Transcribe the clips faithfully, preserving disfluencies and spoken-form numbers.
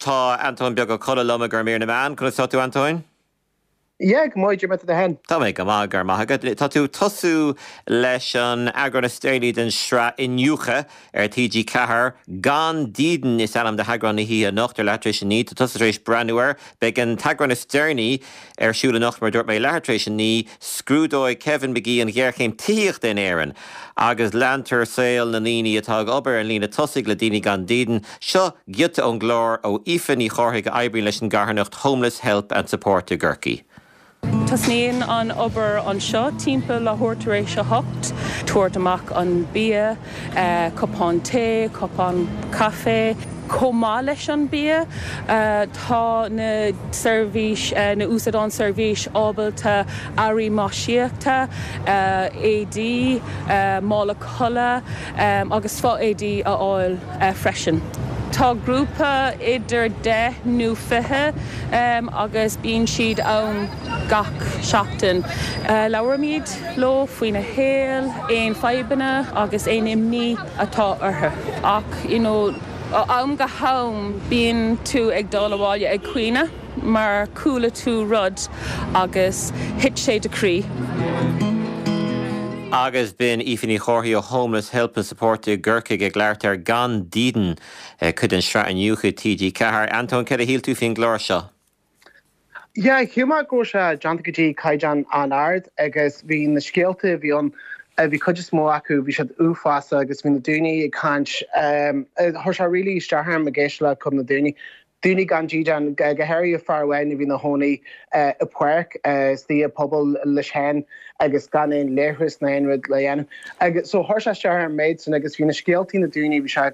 Tá Antóin Beag Ó Colla liom ag mír na meán, conas tá tú Antóin? Yeah, go maith tú féin. Tá mé go maith go maith agat. Tá tú tosú leis an eagrán is déanaí den sraith Iniúchadh ar TG Ceathair gan dídean is ainm d'eagrán na hoíche anocht ar leathuair tar éis a naoi, Tá tusa tar éis breathnú air, beidh an t-eagrán is deireanaí ar siúl anocht mar dúirt mé leathuair tar éis a naoi, scrúdóidh Kevin McGee an ghéarchéim tithíochta in Éirinn agus leantar saol na ndaoine atá ag obair an líne tosaigh le daoine gan dídean, seo giota ón gclár ó Aoife Ní Chárthaigh a oibríonn leis an gcarthanacht Homeless Help and Support i gCorcaigh. Tosnaíonn an obair anseo timpeall leathuair tar éis a hocht, tabhairt amach an bia, uh, cupán tae, cupán caife. Chomh maith leis an bia uh, tá na seirbhís uh, na úsáideann seirbhís ábalta earraí maisíochta, uh, éadaí, uh, mála codlata um, agus fo-éadaí a fháil uh, freisin. Tá grúpa idir deich nó fiche um, agus bíonn siad ann gach seachtain. Uh, Labhraímid leo faoina shaol, aon fadhbanna agus aon imní atá orthu. Ach you know, am go ham bíonn tú ag dul abhaile ag caoineadh mar chuala tú rud agus thit sé do chroí. Agus b'in Aoife Ní Chárthaigh ó Homeless Help and Support i gCorcaigh ag labhairt ar gan dídean cuid den sraith Iniúchadh TG Ceathair. Antóin céard a shíl tú faoin gclár seo. Ja, chuma go sé déanta go dtí caighdeán an-ard agus bhí na scéalta bhí an bhí cuid is mó acu bhí siad uafásach agus bhí na daoine ag caint chuir sé really isteach orm ag éisteacht le cuid na daoine. Daoine gan dídean go háirithe fear amháin a bhí ina chónaí i bpáirc sa phobal leis féin agus gan aon leithreas ná aon rud le dhéanamh. Agus so chuir sé isteach an méid sin agus bhí na scéaltaí na daoine bhí sé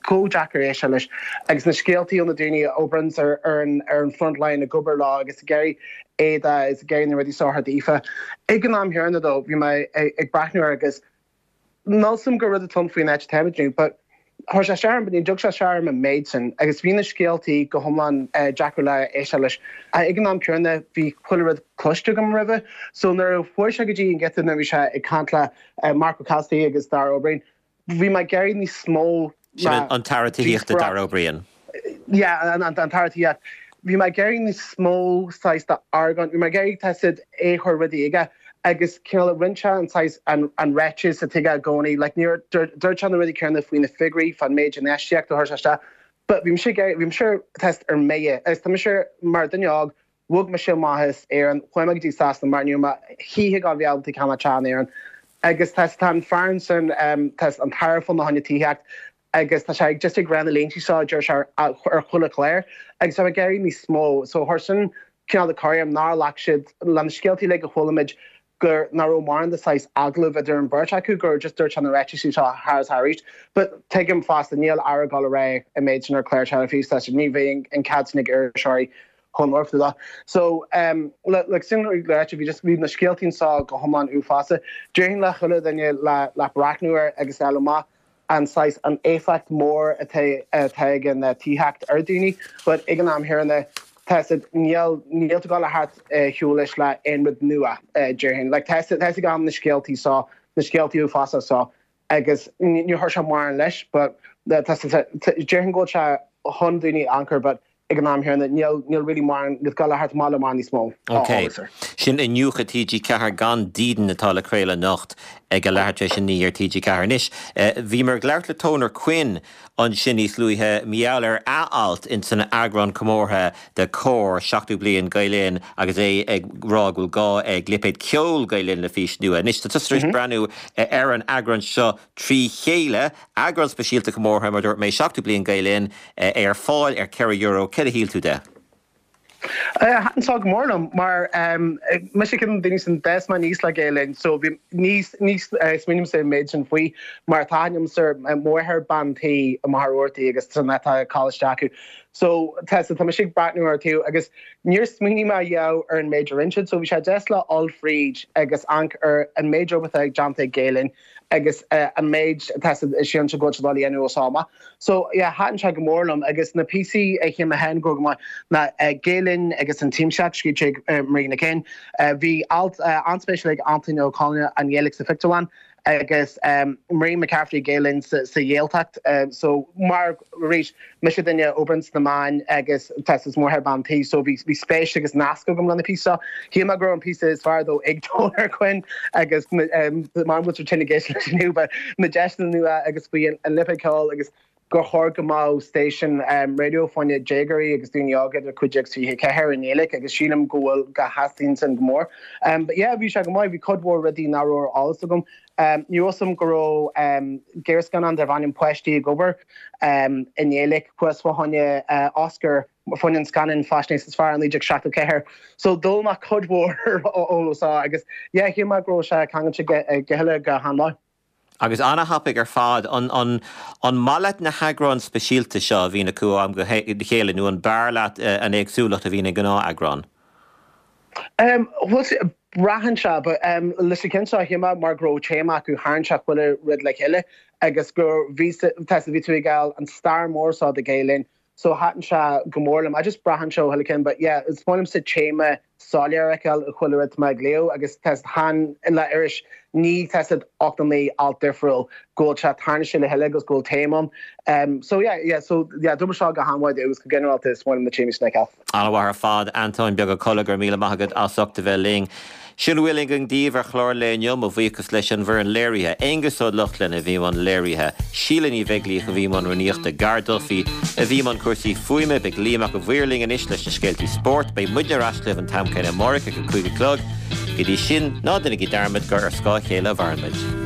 chomh deacair éisteacht leis agus na scéaltaí ó na daoine a oibríonn ar ar an ar an frontline ag obair lá agus géirí éada is géir na rudaí sáthair daofa. Ag an am céanna dó bhí mé ag breathnú agus Násum go rud tom faoin net temidú, but chuir sé sean ní dug sé sean an méid sin agus bhí na scéaltaí go hiomlán deacair le éisteacht leis. Ag an am céanna bhí chuile rud cloiste agam roimhe, so nuair a chuaigh sé go dtí an giota na bhí sé ag caint le Marc Ó Cathasaigh agus Darragh O'Brien. Bhí mé ag iarraidh níos mó an tAire Tithíochta Darragh O'Brien. Yeah, an an tAire Tithíochta. Bhí mé ag iarraidh níos mó saghas de argóint, bhí mé ag iarraidh tá é chur rudaí aige agus cineál rinne an saghas an an ráiteas atá aige i gcónaí, like níor dúirt sé na rudaí céanna faoi na figiúirí fan méid infheistíocht a chuir sé isteach. But bhí sé bhí sé test ar méie agus tá sé mar duine óg bhog mise amach as Éirinn chuaigh mé go dtí Sasana mar ní ma híthe go bhealta ceanna tean éan. Agus tá tá an fear sin tá an tAire fá choinne tithíocht agus tá sé just ag rá na línte seo deir sé ar chuile chlár agus tá ag iarraidh níos mó so chuir sin cineál de corr orm nár ghlac siad le na scéaltaí le go bhfuilimid gur nach raibh mórán de saghas agallamh idir an bheirt acu gur just dúirt an ráiteas seo thar is arís. But tuigim fosta níl aire ag gabháil a rá an méid sin ar chlár teilifíse ní bheidh an cead sin ag iriseoirí chun orthu. So um, le le sin le bhí just bhí na scéaltaí seo go hiomlán uafásach. Déarfainn le chuile duine le le breathnú air agus eile maith an saghas an éifeacht mór atá atá ag an tithíocht ar daoine, but ag an am céanna tá níl níl tú le theacht suas le aon rud nua déarfainn. Like tá tá gan na scéaltaí seo na scéaltaí uafásacha seo agus ní chuir sé mar leis, but déarfainn go sé chun daoine anchor, but ag an am céanna níl níl really mar go le thart má mar níos mó. Ok, Sin Iniúchadh TG Ceathair gan dídean atá le craoladh anocht ag a leathuair tar éis a naoi ar TG Ceathair anois. Bhí mar ag labhairt le Toner Quinn ansin níos luaithe mar gheall ar a alt in san eagrán comórtha de Comhar seachtó bliain Gael Linn agus é ag rá go bhfuil gá ag lipéad ceol Gael Linn le fís nua. Anois tá tusa tar éis breathnú ar an eagrán seo trí chéile, eagrán speisialta comórtha mar dúirt mé seachtó bliain Gael Linn é ar fáil ar ceithre euro céard a shíl tú de. Thaitin sé go mór liom mar me sé cin daoine san des man níos le Gael Linn, so bhí níos níos smaoiním sa méid sin faoi mar táim sir mórthir bantaí a marúirtaí agus san atá cáisteacu. So tá tá sé breathnú ar tú agus níor smaoinigh mé riamh ar an méid rinne so bhí sé deas le dul fríd agus amharc ar an méid oibre déanta Gael Linn agus uh, an méid sin se go dhéanú sama. So yeah, thaitin sé go mór liom agus na píosaí a shíl mé féin go maith na uh, Gael Linn agus an teamseach scríte uh, Marina Kane. Uh, bhí alt uh, an-spéisiúil ag Antain Ó Conghaile an Ghaeilge sa phictiúrlann. agus um, Marie McCaffrey Gael sa, sa Ghaeltacht um, so mar arís mise duine a oibríonn sna meáin agus tá is mór bean tí so bhí bhí spéis agus nasc agam lena píosa. Shíl mé go raibh an píosa is fearr dó ag Toner Quinn agus um, mar bhfuil tine géis leis nu na deiseanna nua agus faoi an lipicáil agus gur chóir go mbeadh station um, radio fá choinne déagóirí agus daoine óga idir cúig déag fiche ceathair i nGaeilge agus sílim go bhfuil go theastaíonn sin go mór. Um, but yeah, bhí sé go maith bhí cuid mhór rudaí nach raibh ar eolas agam. Um, ní osam go raibh um, gearrscannán darb ainm Páistí ag obair um, i nGaeilge chuas fá choinne uh, Oscar fá choinne an scannán faisnéis is fearr naoi déag seachtó ceathair. So d'fhoghlaim mé cuid mhór eolas agus yeah, shíl mé go raibh sé ceangailte go huile go han-mhaith. Agus an-thapaidh ar fad an, an, an maith leat na heagráin speisialta seo a bhíonn acu am go chéile nó an b'fhearr leat uh, an éagsúlacht a bhíonn ag gnátheagrán. Um, well, braitheann sé but um, leis an ceann seo shíl mé mar go raibh téama acu tharraing sé chuile rud le chéile agus gur bhí bhí tú ag fáil an stair mór seo de Gael Linn so thaitin sé go mór liom I just braitheann sé chuile cinn but yeah is maith liomsa téama soiléir a fheiceáil chuile rud mar léo agus test han le iris ní test ocht naoi alt difriúil go bhfuil sé tarna sé le heile agus go bhfuil téama um, so yeah yeah so yeah dúmar seo go han-mhaith agus go ginearálta is maith liom na téamaí sna ceall. An-mhaith ar fad Antóin Beag Ó Colla go raibh míle maith agat as ucht a bheith linn. Sin a bhfuil againn daoibh ar chlár lae inniu mo bhuíochas leis an bhfoireann léirithe. Aonghus Ó Lochlainn a bhí i mbun léirithe. Síle Ní Bheaglaoich a bhí i mbun rúnaíochta Gar Duffy a bhí i mbun cúrsaí fuaime beidh Liam Mac an Mhaoir linn anois leis na scéaltaí spóirt, beidh muidne ar ais libh an t-am céanna amárach ag a cúig a chlog. Go dtí sin ná déanaigí dearmad gur ar scáth a chéile a mhaireann muid.